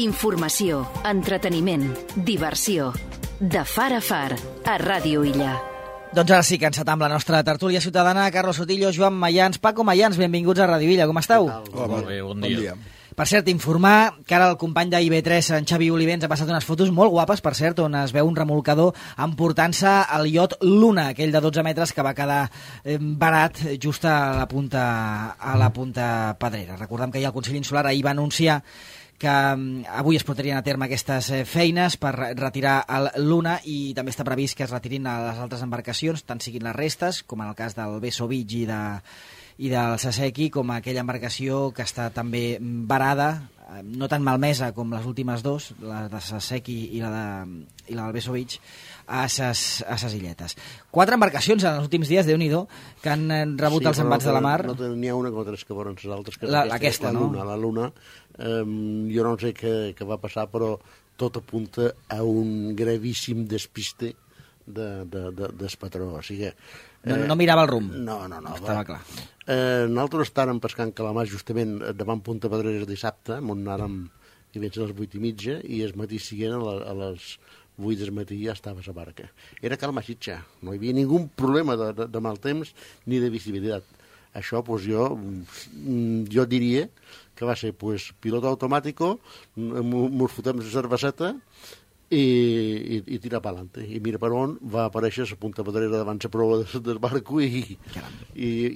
Informació, entreteniment, diversió. De far a far, a Ràdio Illa. Doncs ara sí que encetam la nostra tertúlia ciutadana. Carlos Sotillo, Joan Mayans, Paco Mayans, benvinguts a Ràdio Illa. Com esteu? Molt bé, bon dia. Per cert, informar que ara el company d'IB3, en Xavi Olivens, ha passat unes fotos molt guapes, per cert, on es veu un remolcador emportant-se el iot Luna, aquell de 12 metres que va quedar barat just a la punta pedrera. Recordem que ja el Consell Insular ahir va anunciar que avui es portarien a terme aquestes feines per retirar el Luna, i també està previst que es retirin a les altres embarcacions, tant siguin les restes, com en el cas del Beso Beach i del Saseki, com aquella embarcació que està també varada, no tan malmesa com les últimes dos, la de Saseki i la del Beso Beach, a ses illetes. 4 embarcacions en els últims dies, Déu-n'hi-do, que han rebut els embats de la mar. No n'hi ha una com tres que foren les altres. Aquesta, no? La Luna. Jo no sé què va passar, però tot apunta a un gravíssim despiste del patró. O sigui, no mirava el rumb. No. Estava clar. Nosaltres estàvem pescant calamars justament davant Punta Pedrera dissabte, on anàrem i vens a les 8:30, i el matí siguent a les 8 del matí ja estava a la barca. Era calma xitxa, no hi havia ningú problema de mal temps ni de visibilitat. Això, doncs, jo diria que va ser pilot automàtico, mos fotem la cerveseta i tirar per l'ante. I mira per on va aparèixer la punta pedrera davant la prova del barco i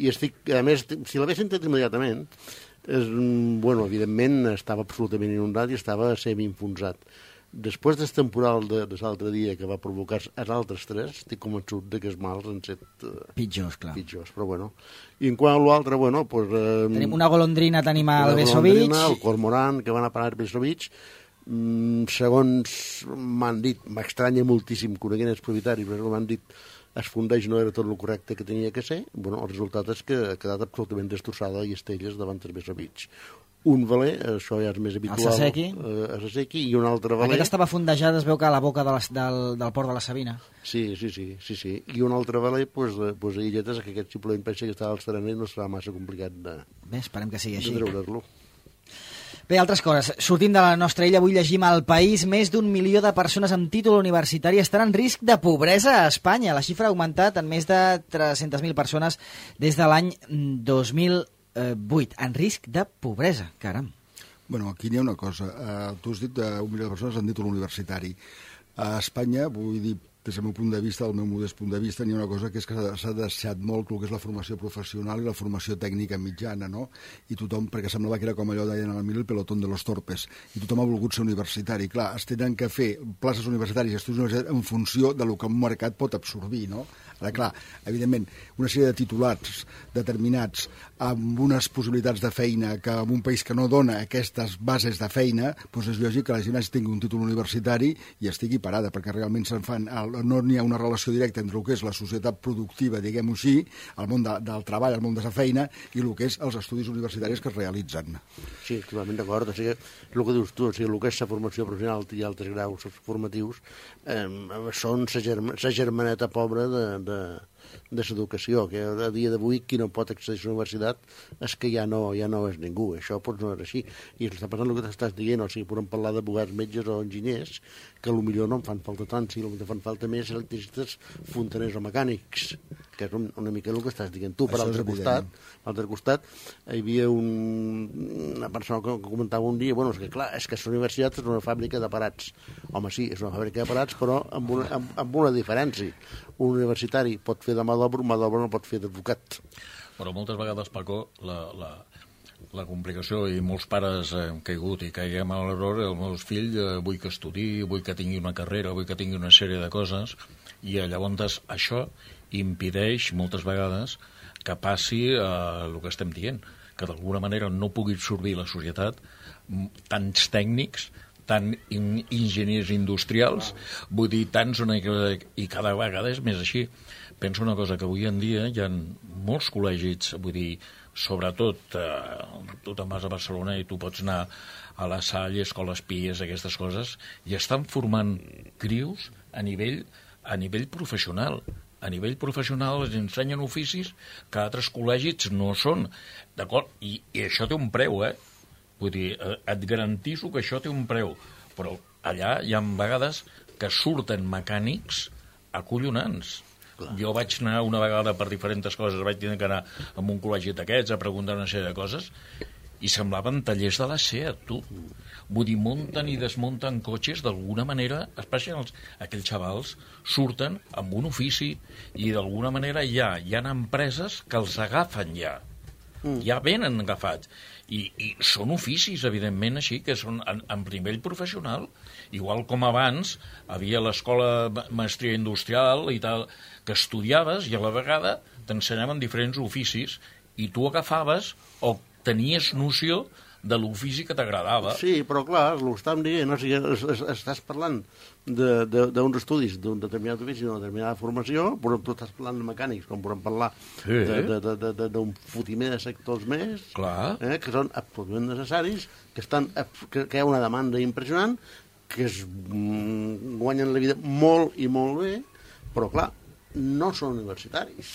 estic, a més, si l'haguessin tret immediatament, evidentment estava absolutament inundat i estava semi-enfonsat. Després del temporal de l'altre dia que va provocar els altres tres, estic convençut que els mals han set pitjors, clar. Però bueno. I en quant a l'altre, tenim una golondrina, tenim el Beso Beach, el cormorant que van a parar al Beso Beach. Segons m'han dit, m'estranya moltíssim, coneguent els propietaris, però m'han dit es fundeix no era tot el correcte que tenia que ser. El resultat és que ha quedat absolutament destrossada i estelles davant del Beso Beach. Un veler, això ja és més habitual, el Saseki, i un altre veler... Aquest estava fondejat, es veu que a la boca del port de la Sabina. Sí. I un altre veler, a illetes, que aquest simplement pensa que estava al serena i no serà massa complicat de esperem que sigui així. treure-lo. Bé, altres coses. Sortim de la nostra illa, avui llegim al País: més d'1 milió de persones amb títol universitari estan en risc de pobresa a Espanya. La xifra ha augmentat en més de 300.000 persones des de l'any 2008, en risc de pobresa, caram. Bueno, aquí n'hi ha una cosa. Tu has dit d'1 milió de persones amb títol universitari. A Espanya, vull dir, des del meu punt de vista, del meu modest punt de vista, n'hi ha una cosa que és que s'ha deixat molt el que és la formació professional i la formació tècnica mitjana, no? I tothom, perquè semblava que era com allò deien al mil, el pelotón de los torpes, i tothom ha volgut ser universitari. Clar, es tenen que fer places universitàries i estudis universitaris en funció del que un mercat pot absorbir, no? Ara, clar, evidentment, una sèrie de titulats determinats amb unes possibilitats de feina que en un país que no dona aquestes bases de feina, doncs és lògic que la gent tingui un títol universitari i estigui parada, perquè realment no n'hi ha una relació directa entre el que és la societat productiva, diguem-ho així, el món del treball, el món de la feina, i el que és els estudis universitaris que es realitzen. Sí, totalment d'acord. O sigui, el que dius tu, o sigui, el que és la formació professional i altres graus formatius són la germaneta pobra de l'educació, que a dia d'avui qui no pot accedir a la universitat és que ja no és ningú. Això no és així. I està passant el que t'estàs dient, o sigui, podem parlar d'advocats, metges o enginyers, que potser no en fan falta tant, si el que fan falta més electricistes, fontaners o mecànics, que és una mica el que estàs dient tu. Per l'altre costat, hi havia una persona que comentava un dia, és que clar, és que la universitat és una fàbrica de parats. Home, sí, és una fàbrica de parats, però amb una diferència. Un universitari pot fer de mà d'obra, un mà d'obra no pot fer d'advocat. Però moltes vegades, Paco, la complicació, i molts pares hem caigut i caiguem a l'error, els meus fills vull que estudiï, vull que tingui una carrera, vull que tingui una sèrie de coses, i llavors això impedeix moltes vegades que passi el que estem dient, que d'alguna manera no pugui absorbir la societat tants tècnics, tant enginyers industrials, vull dir, tants, i cada vegada és més així. Penso una cosa, que avui en dia hi ha molts col·legis, vull dir, sobretot, tu te'n vas a Barcelona i tu pots anar a la Salle, Escoles Pies, aquestes coses, i estan formant crios a nivell professional. A nivell professional els ensenyen oficis que altres col·legis no són, d'acord? I això té un preu, Vull dir, et garantiso que això té un preu, però allà hi ha vegades que surten mecànics acollonants. Clar. Jo vaig anar una vegada per diferents coses, vaig tenir que anar a un col·legi d'aquests a preguntar una sèrie de coses, i semblaven tallers de la SEAT, tu. Vull dir, munten i desmunten cotxes d'alguna manera, especialment aquells xavals surten amb un ofici i d'alguna manera hi ha empreses que els agafen ja. Ja venen agafats. I són oficis, evidentment, així, que són en nivell professional. Igual com abans havia l'escola maestria industrial i tal, que estudiaves i a la vegada t'ensenyaven diferents oficis i tu agafaves o tenies noció de l'ofici que t'agradava. Sí, però clar, el que estàvem dient, o sigui, estàs parlant d'uns estudis d'un determinat ofici, d'una determinada formació, però tu estàs parlant de mecànics, com podem parlar d'un fotimer de sectors més, que són absolutament necessaris, que hi ha una demanda impressionant, que es guanyen la vida molt i molt bé, però clar, no són universitaris.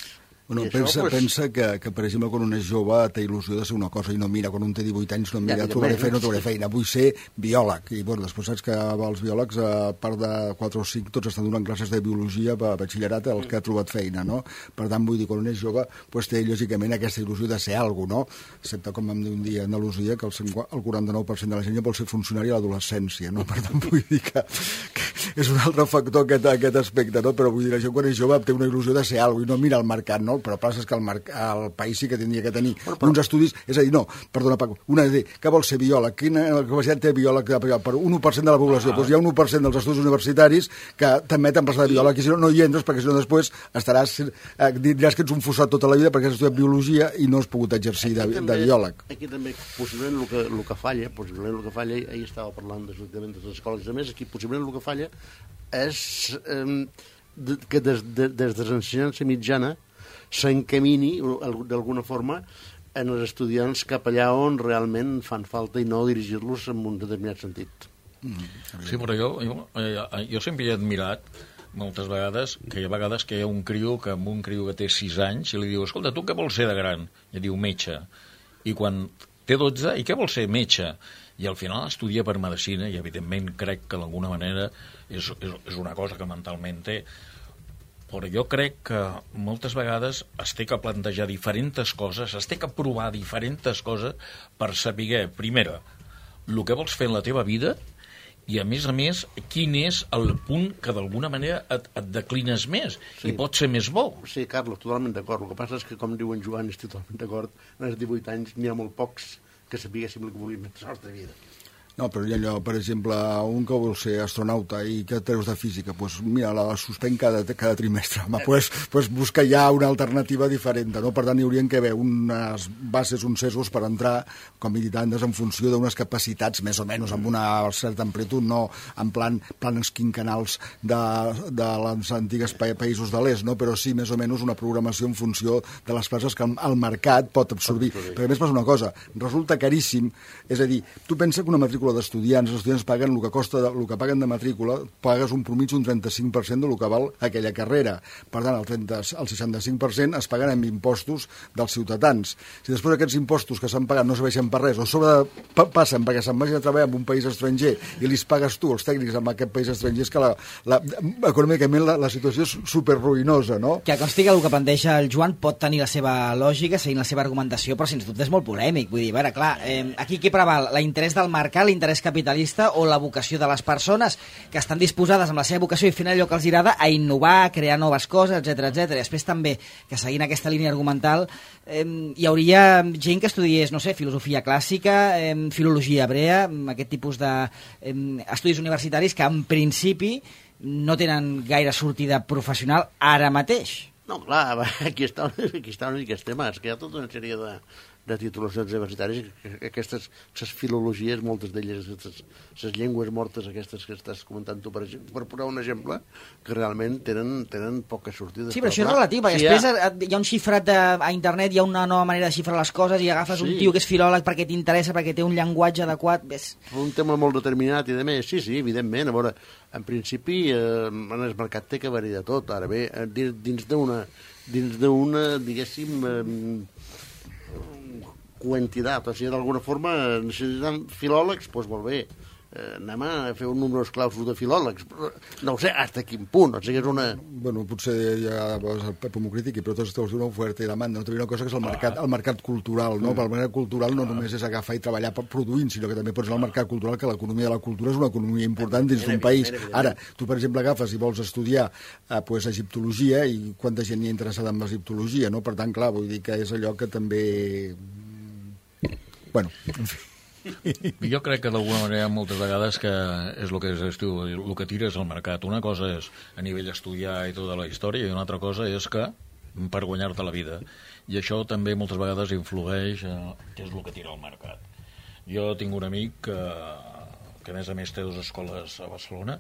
Bueno, pensa que, per exemple, quan un és jove té il·lusió de ser una cosa i no mira, quan un té 18 anys no mira, trobaré feina, vull ser biòleg. I bueno, després saps que els biòlegs, a part de 4 o 5, tots estan donant classes de biologia a batxillerat als que ha trobat feina, no? Per tant, vull dir, quan un és jove, doncs té lògicament aquesta il·lusió de ser alguna cosa, no? Excepte, com vam dir un dia a Andalusia, que el 49% de la gent ja vol ser funcionari a l'adolescència, no? Per tant, vull dir que és un altre factor aquest aspecte, no? Però vull dir, la gent quan és jove té una il·lusió de ser alguna cosa i no mira el mercat, no? Però el és que el país sí que tindria que tenir uns estudis, és a dir, no, perdona Paco, una idea, que vol ser biòleg, quina capacitat té biòleg per 1% de la població, doncs hi ha 1% dels estudis universitaris que t'admeten passar de biòleg, i si no hi entres, perquè si no després diràs que ets un fossat tota la vida perquè has estudiat biologia i no has pogut exercir de biòleg. Aquí també, possiblement, el que falla, ahir estava parlant de les escoles i més, aquí possiblement el que falla és que des de l'ensenyança mitjana s'encamini, d'alguna forma, en els estudiants cap allà on realment fan falta i no dirigir-los en un determinat sentit. Sí, però jo sempre he admirat moltes vegades que hi ha vegades que hi ha un criu que té 6 anys i li diu, escolta, tu què vols ser de gran? I diu, metge. I quan té 12, i què vols ser? Metge. I al final estudia per medicina i evidentment crec que d'alguna manera és una cosa que mentalment té. Però jo crec que moltes vegades es té que plantejar diferents coses, es té que provar diferents coses per saber, primera, el que vols fer en la teva vida i, a més, quin és el punt que d'alguna manera et declines més i pot ser més bo. Sí, Carlos, totalment d'acord. El que passa és que, com diu en Joan, estic totalment d'acord, als 18 anys n'hi ha molt pocs que sapiguéssim el que volíem en la nostra vida. No, però hi ha allò, per exemple, un que vol ser astronauta i que treus de física, doncs mira, la suspèn cada trimestre. Home, doncs busca ja una alternativa diferent, no? Per tant, hi haurien que haver unes bases, uns sesgos per entrar, com he dit antes, en funció d'unes capacitats, més o menys, amb una certa amplitud, no en plans quinquennals de les antigues països de l'est, no? Però sí, més o menys, una programació en funció de les places que el mercat pot absorbir. Perquè a més passa una cosa, resulta caríssim, és a dir, tu pensa que una matrícula d'estudiants, els estudiants paguen el que costa, el que paguen de matrícula, pagues un promig d'un 35% del que val aquella carrera. Per tant, el 65% es paguen amb impostos dels ciutadans. Si després aquests impostos que s'han pagat no serveixen per res, o sobre passen perquè se'n vagin a treballar en un país estranger i li pagues tu, els tècnics, en aquest país estranger, és que econòmicament la situació és superruïnosa, no? Que consti que el que planteja el Joan pot tenir la seva lògica, seguint la seva argumentació, però sens dubte és molt polèmic. Vull dir, a veure, clar, aquí què preval? L'interès del mercat, l'interès capitalista o la vocació de les persones que estan disposades amb la seva vocació i fent allò que els agrada a innovar, a crear noves coses, etc. I després també, que seguint aquesta línia argumental, hi hauria gent que estudiés, no sé, filosofia clàssica, filologia hebrea, aquest tipus d'estudis universitaris que en principi no tenen gaire sortida professional ara mateix. No, clar, aquí està una mica el tema, és que hi ha tota una sèrie de titulacions universitàries, aquestes filologies, moltes d'elles, les llengües mortes aquestes que estàs comentant tu, per posar un exemple, que realment tenen poca sortida. Sí, però això és relatiu, perquè després hi ha un xifrat a internet, hi ha una nova manera de xifrar les coses i agafes un tio que és filòleg perquè t'interessa, perquè té un llenguatge adequat. Un tema molt determinat i de més, sí, evidentment. A veure, en principi, en el mercat té que haver-hi de tot. Ara bé, dins d'una, diguéssim, quantitat, o sigui, d'alguna forma necessitem filòlegs, doncs molt bé, anem a fer un número clausus de filòlegs, no ho sé, hasta quin punt, o sigui, és una... Bueno, potser ja el Pep m'ho critiqui, però tots és una oferta i demanda, no? També una cosa que és el mercat cultural, no? Però el mercat cultural no només és agafar i treballar produint, sinó que també pots anar al mercat cultural, que l'economia de la cultura és una economia important dins d'un país. Ara, tu, per exemple, agafes i vols estudiar egiptologia, i quanta gent hi ha interessada en l'egiptologia, no? Per tant, clar, vull dir que és allò que també... Bueno, en fi. Jo crec que d'alguna manera moltes vegades que és el que es diu, el que tira és el mercat. Una cosa és a nivell estudiar i tota la història, i una altra cosa és que per guanyar-te la vida. I això també moltes vegades influeix que és el que tira el mercat. Jo tinc un amic que a més té 2 escoles a Barcelona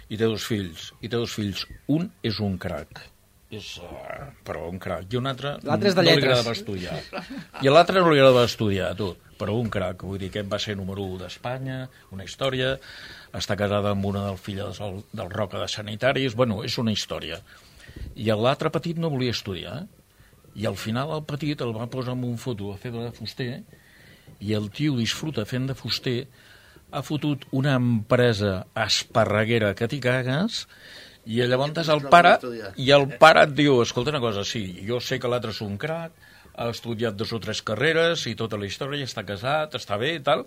i té 2 fills. Un és un crac, però un crac, i un altre és de no li lletres. agradava estudiar. I a l'altre no li agradava estudiar, tot. Però un crac, vull dir que va ser número 1 d'Espanya, una història, està casada amb una dels filles del Roca de Sanitaris, bueno, és una història. I l'altre petit no volia estudiar, i al final el petit el va posar en un foto a fer de fuster, i el tio disfruta fent de fuster, ha fotut una empresa esparreguera que t'hi cagues, i llavors el pare et diu, escolta una cosa, sí, jo sé que l'altre és un crac, ha estudiat 2 o 3 carreres i tota la història, està casat, està bé i tal,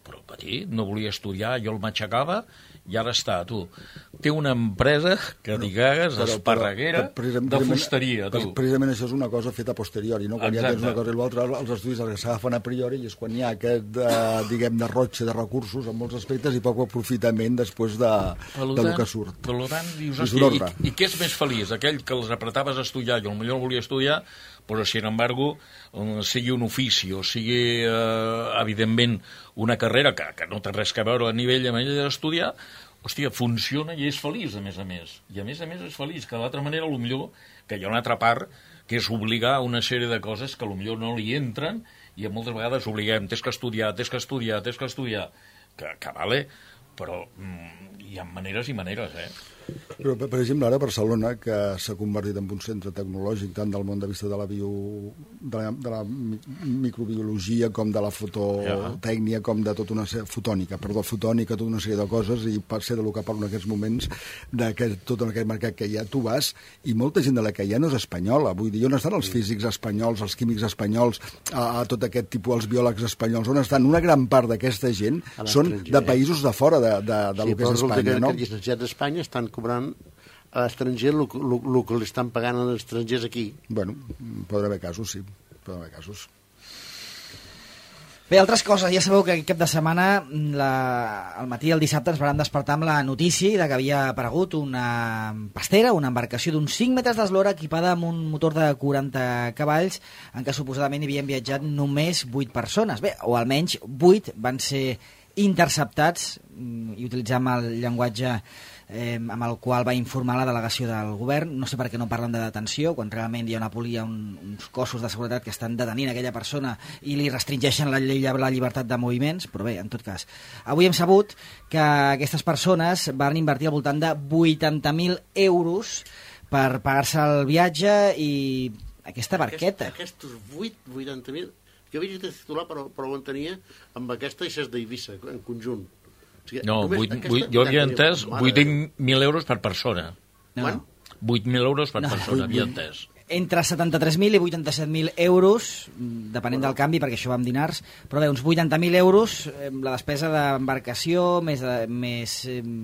però el petit no volia estudiar, jo el matxacava i ara està, tu. Té una empresa que t'hi cagues, esparreguera, de fusteria, tu. Precisament això és una cosa feta a posteriori, no? Quan ja tens una cosa i l'altra, els estudis s'agafen a priori, i és quan hi ha aquest, diguem, derrotxe de recursos en molts aspectes i poc aprofitament després del que surt. Per tant, dius, hòstia, i què és més feliç? Aquell que els apretaves a estudiar i potser no volia estudiar, però, sin embargo, sigui un ofici o sigui, evidentment, una carrera que no té res a veure a nivell d'estudiar, hòstia, funciona i és feliç, a més a més. I a més és feliç, que d'altra manera, potser que hi ha una altra part, que és obligar una sèrie de coses que potser no li entren, i moltes vegades obliguem, tens que estudiar, que vale, però hi ha maneres i maneres, Però, per exemple, ara Barcelona, que s'ha convertit en un centre tecnològic tant del món de vista de la microbiologia com de la fototècnia, com de tota una fotònica, tota una sèrie de coses, i per ser del que parlo en aquests moments, tot en aquest mercat que hi ha, tu vas, i molta gent de la que hi ha no és espanyola. Vull dir, on estan els físics espanyols, els químics espanyols, tot aquest tipus, els biòlegs espanyols, on estan? Una gran part d'aquesta gent són de països de fora del que és Espanya, no? Els llicenciats d'Espanya estan cobrant a l'estranger el que li estan pagant als estrangers aquí. Bueno, podrà haver casos, sí. Podrà haver casos. Bé, altres coses. Ja sabeu que aquest cap de setmana, al matí del dissabte, ens vam despertar amb la notícia de que havia aparegut una pastera, una embarcació d'uns 5 metres d'eslora equipada amb un motor de 40 cavalls en què suposadament hi havien viatjat només 8 persones. Bé, o almenys 8 van ser interceptats, i utilitzant el llenguatge amb el qual va informar la delegació del govern. No sé per què no parlen de detenció, quan realment hi ha uns cossos de seguretat que estan detenint aquella persona i li restringeixen la llibertat de moviments, però bé, en tot cas. Avui hem sabut que aquestes persones van invertir al voltant de 80.000 euros per pagar-se el viatge i aquesta barqueta. Aquests 80.000... Jo havia de titular, però ho entenia amb aquesta i ses d'Eivissa, en conjunt. O sigui, no, jo havia entès 8.000 euros per persona. Quan? 8.000 euros per persona, havia entès. Entre 73.000 i 87.000 euros, depenent del canvi, perquè això va amb dinars, però bé, uns 80.000 euros, la despesa d'embarcació, més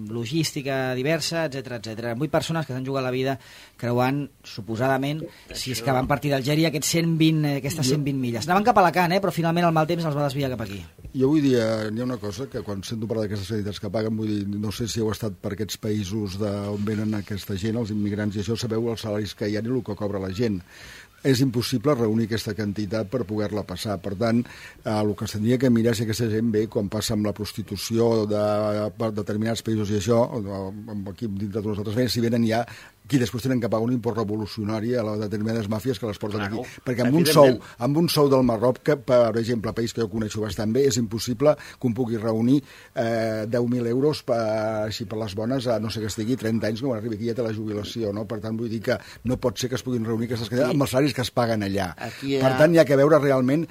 logística diversa, etc. 8 persones que s'han jugat la vida creuant, suposadament, si és que van partir d'Algèria, aquestes 120 milles. Anaven cap a Alacant, però finalment el mal temps els va desviar cap aquí. Jo vull dir, hi ha una cosa que quan sento parlar d'aquestes entitats que paguen, vull dir, no sé si heu estat per aquests països on venen aquesta gent, els immigrants, i això sabeu els salaris que hi ha i el que cobra la gent. És impossible reunir aquesta quantitat per poder-la passar. Per tant, el que s'hauria que mirar si aquesta gent ve, quan passa amb la prostitució per determinats països i això, aquí dintre de nosaltres, si venen ja qui després tenen que pagar un import revolucionari a les determinades màfies que les porten aquí. Perquè amb un sou del Marroc, que, per exemple, país que jo coneixo bastant bé, és impossible que un pugui reunir 10.000 euros així per les bones a no sé que estigui 30 anys quan arribi aquí ja té la jubilació, no? Per tant, vull dir que no pot ser que es puguin reunir aquestes quantitats amb els salaris que es paguen allà. Per tant, hi ha que veure realment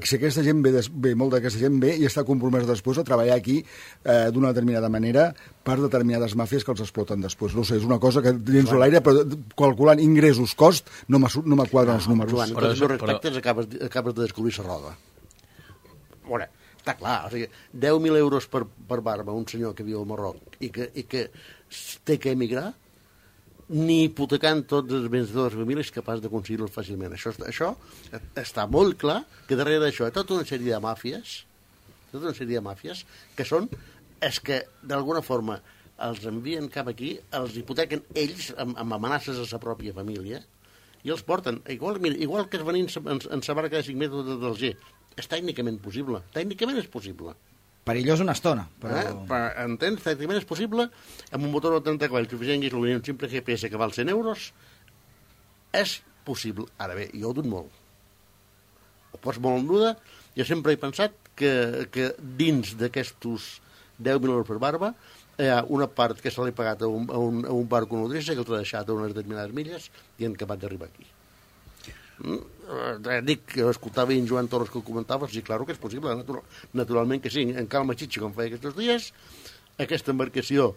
si aquesta gent ve, molta d'aquesta gent ve i està compromesa després a treballar aquí d'una determinada manera per determinades màfies que els exploten després. No sé, és una cosa que dins de l'aire, però calculant ingressos, cost, no m'quadren els números. Joan, amb tots els respectes acabes de descobrir la roda. Veure, està clar, o sigui, 10.000 euros per barba un senyor que viu al Marroc i que té que emigrar, ni hipotecant tots els béns de les famílies és capaç d'aconseguir-lo fàcilment. Això està molt clar que darrere d'això hi ha tota una sèrie de màfies que són és que, d'alguna forma, els envien cap aquí, els hipotequen ells amb amenaces a la pròpia família i els porten. Igual que es venint en sa barca de 5 metres del G. És tècnicament possible. Tècnicament és possible. Perillós una estona. Però... Entens? Tècnicament és possible. Amb un motor de 30 cavalls que afegeixis un simple GPS que val 100 euros, és possible. Ara bé, jo ho dut molt. Ho pots molt en duda. Jo sempre he pensat que dins d'aquestos 10.000 euros per barba hi ha una part que se l'he pagat a un barco nodrissa que l'ha deixat a unes determinades milles i han acabat d'arribar aquí. Dic que escoltava en Joan Torres que ho comentava, sí, clar que és possible, naturalment que sí. En Calma Xitxa, com feia aquests dies, aquesta embarcació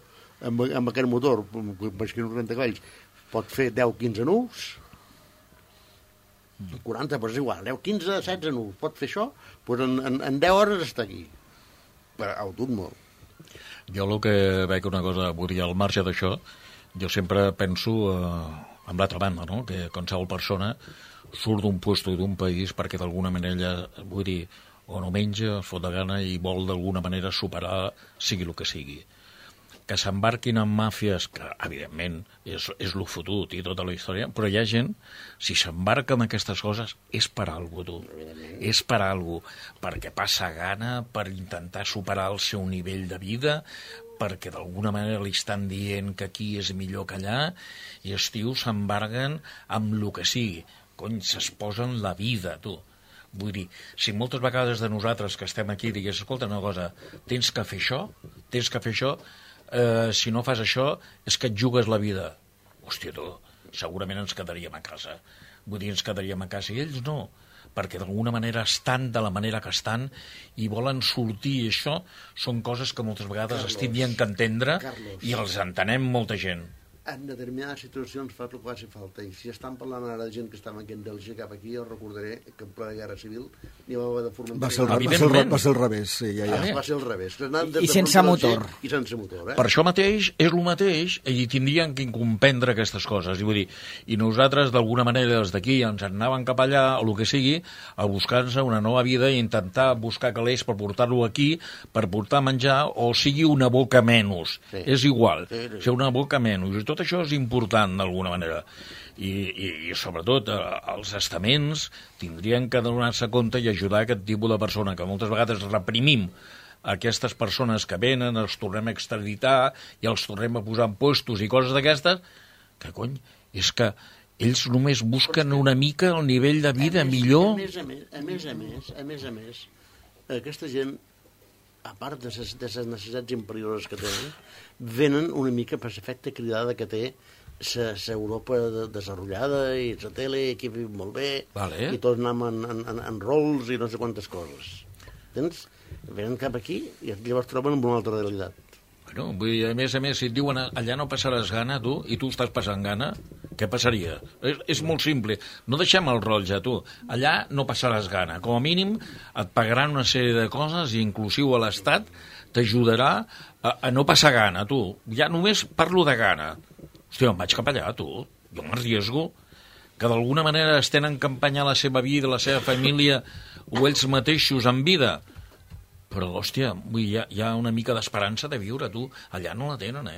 amb aquest motor, amb 40 cavalls, pot fer 10-15 nusos, 40, però és igual, 10-15-16 nusos, pot fer això, doncs en 10 hores està aquí. Però ho dut molt. Jo el que veig una cosa, vull dir, al marge d'això, jo sempre penso amb l'altra banda, no? Que qualsevol persona surt d'un puesto i d'un país perquè d'alguna manera, vull dir, o no menja, es fot de gana i vol d'alguna manera superar sigui el que sigui. Que s'embarquin en màfies, que evidentment és lo fotut i tota la història, però hi ha gent, si s'embarca en aquestes coses, és per alguna cosa, tu. És per alguna cosa, perquè passa gana, per intentar superar el seu nivell de vida, perquè d'alguna manera li estan dient que aquí és millor que allà, i els tios s'embarguen amb el que sigui. Cony, s'exposen la vida, tu. Vull dir, si moltes vegades de nosaltres que estem aquí digués, escolta una cosa, tens que fer això, si no fas això és que et jugues la vida. Hòstia, tu, segurament ens quedaríem a casa. Vull dir, ens quedaríem a casa. I ells no, perquè d'alguna manera estan de la manera que estan i volen sortir. I això són coses que moltes vegades es tindrien que entendre i els entenem molta gent. En determinades situacions fa el que faci falta. I si estan parlant ara de gent que estava aquí en Bèlgica cap aquí, jo recordaré que en plena guerra civil n'hi va haver de Formentera. Va ser el revés, sí, ja. Va ser el revés. I sense motor. I sense motor, Per això mateix és el mateix i tindrien que comprendre aquestes coses. I vull dir, i nosaltres d'alguna manera des d'aquí ens anaven cap allà, o el que sigui, a buscar-se una nova vida i intentar buscar calés per portar-lo aquí, per portar menjar, o sigui una boca menys. Sí. És igual, ser una boca menys. I tot això és important d'alguna manera i sobretot els estaments tindrien que donar-se compte i ajudar aquest tipus de persona que moltes vegades reprimim aquestes persones que venen, els tornem a extraditar i els tornem a posar en puestos i coses d'aquestes, que cony, és que ells només busquen una mica el nivell de vida millor. A més a més, aquesta gent, a part de les necessitats imperioses que tenen, venen una mica per l'efecte cridada que té l'Europa desenvolupada i la tele, aquí viu molt bé, i tots anem en rols i no sé quantes coses. Entens? Venen cap aquí i llavors troben una altra realitat. Bueno, vull dir, a més, si et diuen allà no passaràs gana, tu, i tu estàs passant gana, què passaria? És molt simple. No deixem el rotllo, tu. Allà no passaràs gana. Com a mínim et pagaran una sèrie de coses i inclusiu a l'Estat t'ajudarà a no passar gana, tu. Ja només parlo de gana. Hòstia, em vaig cap allà, tu. Jo m'arriesgo que d'alguna manera es tenen que empenyar la seva vida, la seva família o ells mateixos en vida. Però, hòstia, hi ha una mica d'esperança de viure, tu. Allà no la tenen,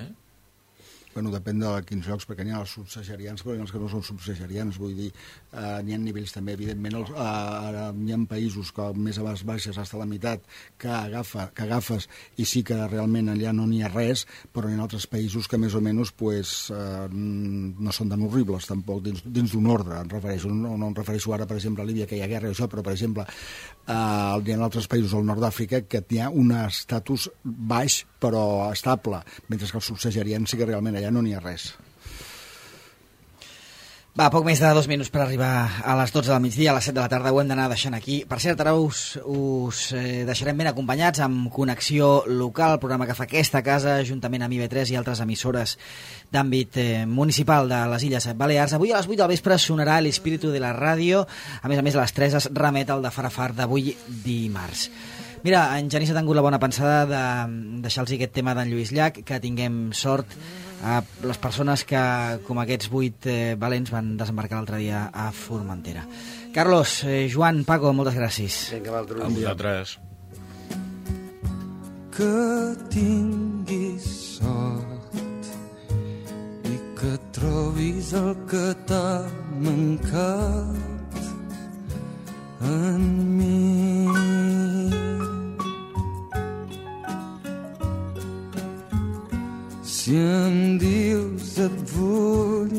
Bueno, depèn de quins llocs, perquè n'hi ha els subsaharians, però n'hi ha els que no són subsaharians, vull dir, n'hi ha nivells també, evidentment, n'hi ha països que més a baixes, fins a la meitat, que agafes, i sí que realment allà no n'hi ha res, però n'hi ha altres països que més o menys no són tan horribles, tampoc, dins d'un ordre, em refereixo, no em refereixo ara, per exemple, a Líbia, que hi ha guerra i això, però, per exemple, hi ha altres països al nord d'Àfrica que hi ha un estatus baix, però estable, mentre que els subsaharians sí que realment allà no n'hi ha res. Va, poc més de 2 minuts per arribar a les 12 del migdia, a les 7 de la tarda ho hem d'anar deixant aquí. Per cert, ara us deixarem ben acompanyats amb Connexió Local, el programa que fa aquesta casa, juntament amb IB3 i altres emissores d'àmbit municipal de les Illes Balears. Avui a les 8 del vespre sonarà l'Espíritu de la Ràdio, a més a les 3 es remet al de Far a Far d'avui dimarts. Mira, en Genís ha tingut la bona pensada de deixar-los aquest tema d'en Lluís Llach, que tinguem sort a les persones que, com aquests 8 valents, van desembarcar l'altre dia a Formentera. Carlos, Joan, Paco, moltes gràcies. Vinga, a vosaltres. Que tinguis sort i que trobis el que t'ha mancat en mi. Si em dius et vull,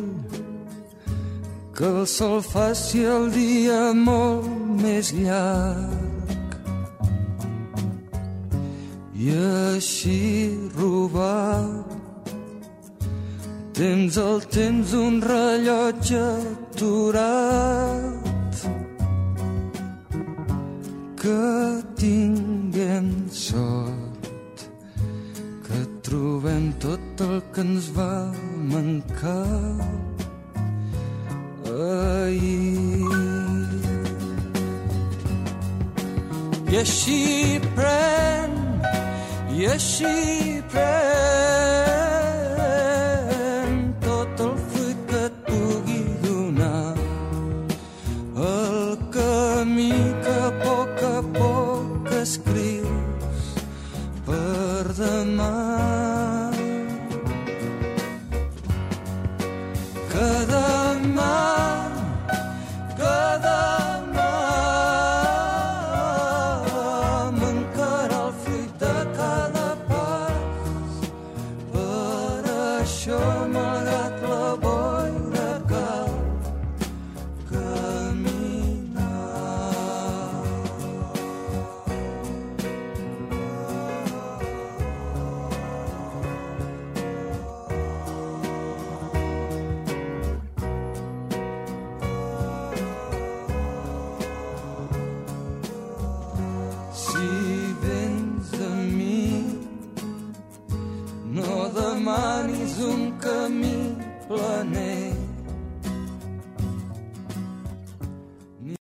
que el sol faci el dia molt més llarg i així robar tens el temps un rellotge aturat. Que tinguem sort, que trobem tot el que ens va mancar ahir. I així pren, i així pren tot el fruit que et pugui donar, el camí que a poc escrius per demà. Que demà mancarà el fruit de cada pas. Per això, malgrat la boira, cal caminar. Si vens de mi, no demanis un camí planer.